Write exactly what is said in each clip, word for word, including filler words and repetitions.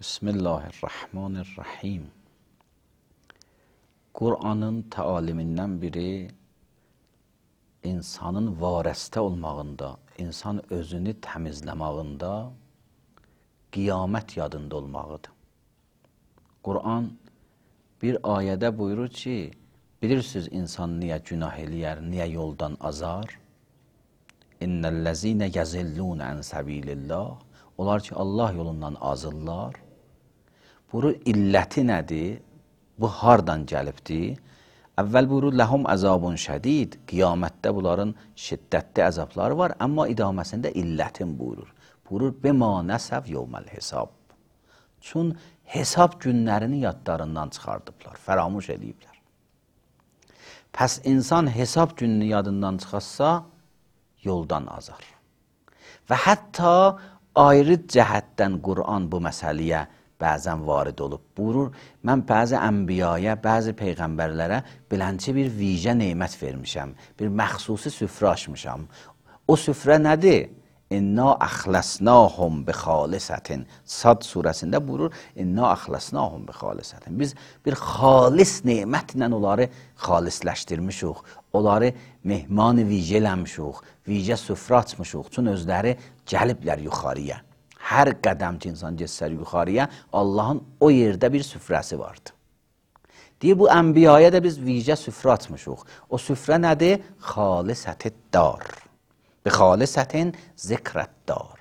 Bismillahirrahmanirrahim. Kur'anın təalimindən biri insanın varəstə olmağında, insan özünü təmizləmağında, qiyamət yadında olmağıdır. Kur'an bir ayədə buyurur ki, bilirsiniz insan niyə günah eləyər, niyə yoldan azar? İnnellezine yazillun an sabilillah. Onlar ki Allah yolundan azırlar. Bunun illəti nədir? Bu hardan gəlibdir? Əvvəl buyurur, ləhum əzabun şədid. Qiyamətdə bunların şiddətli əzabları var, amma idaməsində illətin buyurur. Buyurur, bima nəsəv yevməl hesab. Çün hesab günlərini yadlarından çıxardıblar, fəramuş ediblər. Pəs insan hesab gününü yadından çıxarsa, yoldan azar. Və hətta ayrı cəhətdən Qur'an bu məsələyə bəzən varid olub. Buyurur, mən bəzi ənbiyaya, bəzi peyğəmbərlərə bilənçi bir vicə neymət vermişəm, bir məxsusi süfrə açmışam. O süfrə nədir? İnna əxləsnahum bi xalisətin. Sad surəsində buyurur, inna əxləsnahum bi xalisətin. Biz bir xalis neymətlə onları xalisləşdirmişik, onları mehman vicə eləmişik, vicə süfrə açmışıq, üçün özləri gəliblər yuxarıya. Hər qədəm ki, insan geçsər yuxarıya, Allahın o yerdə bir süfrəsi vardı. Deyir, bu ənbiyaya da biz vicə süfrə açmışıq. O süfrə nədir? Xalisətid dar. Bi xalisətin zikrətdar.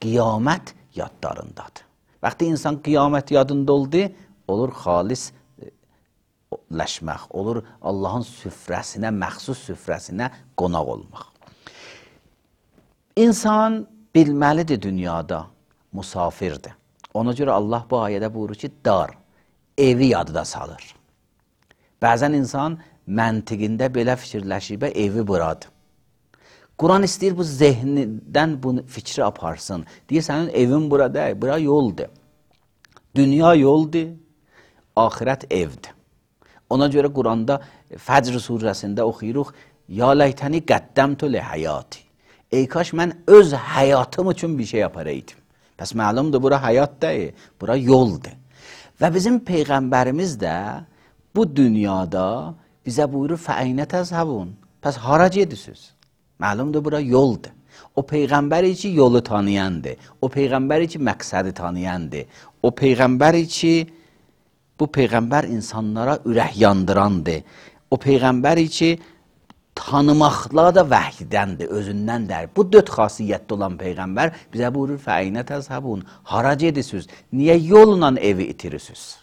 Qiyamət yadlarındadır. Vaxtı insan qiyamət yadında oldu, olur xalis ləşmək, olur Allahın süfrəsinə, məxsus süfrəsinə qonaq olmaq. İnsan bilməlidir dünyada, musafirdir. Ona görə Allah bu ayədə buyurur ki, dar, evi yadıda salır. Bəzən insan məntiqində belə fikirləşib, evi buradır. Quran istəyir bu zehnindən bu fikri aparsın. Deyir, sənin evin bura deyil, bura yoldur. Dünya yoldur, axirət evdir. Ona görə Quranda Fəcr surəsində oxuyuruq, ya ləytəni qəddəmtu li həyati. Ey kaş mən öz həyatım üçün bir şey yaparaydım. Pəs məlumdur, bura həyat deyil, bura yoldur. Və bizim Peyğəmbərimiz də bu dünyada bizə buyurur, fəəynə təzhəbun. Pəs hara gedirsiniz? Məlumdur, bura yoldur. O Peyğəmbəri ki, yolu tanıyandır. O Peyğəmbəri ki, məqsədi tanıyandır. O Peyğəmbəri ki, bu Peyğəmbər insanlara ürək yandırandır. O Peyğəmbəri ki, tanımaqla da vəhdəndir, özündəndir. Bu dörd xasiyyətdə olan Peyğəmbər bizə buyurur, fəəynə təzhəbun. Hara gedirsiniz? Niyə yolla evi itirirsiniz?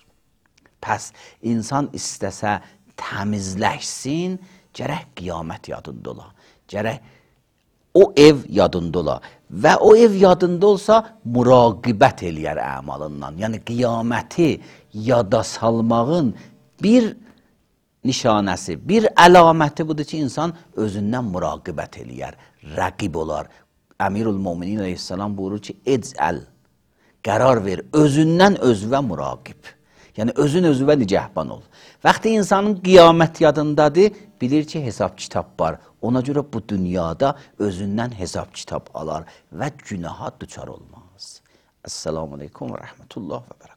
Pəs insan istəsə təmizləşsin, gərək qiyamət yadında ola. Gərək o ev yadında ola. Və o ev yadında olsa, müraqibət eləyər əmalından. Yəni qiyaməti yada salmağın bir nişanəsi, bir əlaməti budur ki, insan özündən müraqibət eləyər, rəqib olar. Əmirül-Müminin əleyhissalam buyurur ki, ecəl, qərar ver, özündən özvə müraqib. Yəni, özün özvə nicəhban ol. Vaxtı insanın qiyamət yadındadır, bilir ki, hesab kitab var. Ona görə bu dünyada özündən hesab kitab alar və günaha düçar olmaz. Esselamu aleykum və rəhmətullah və bərəkətuhu.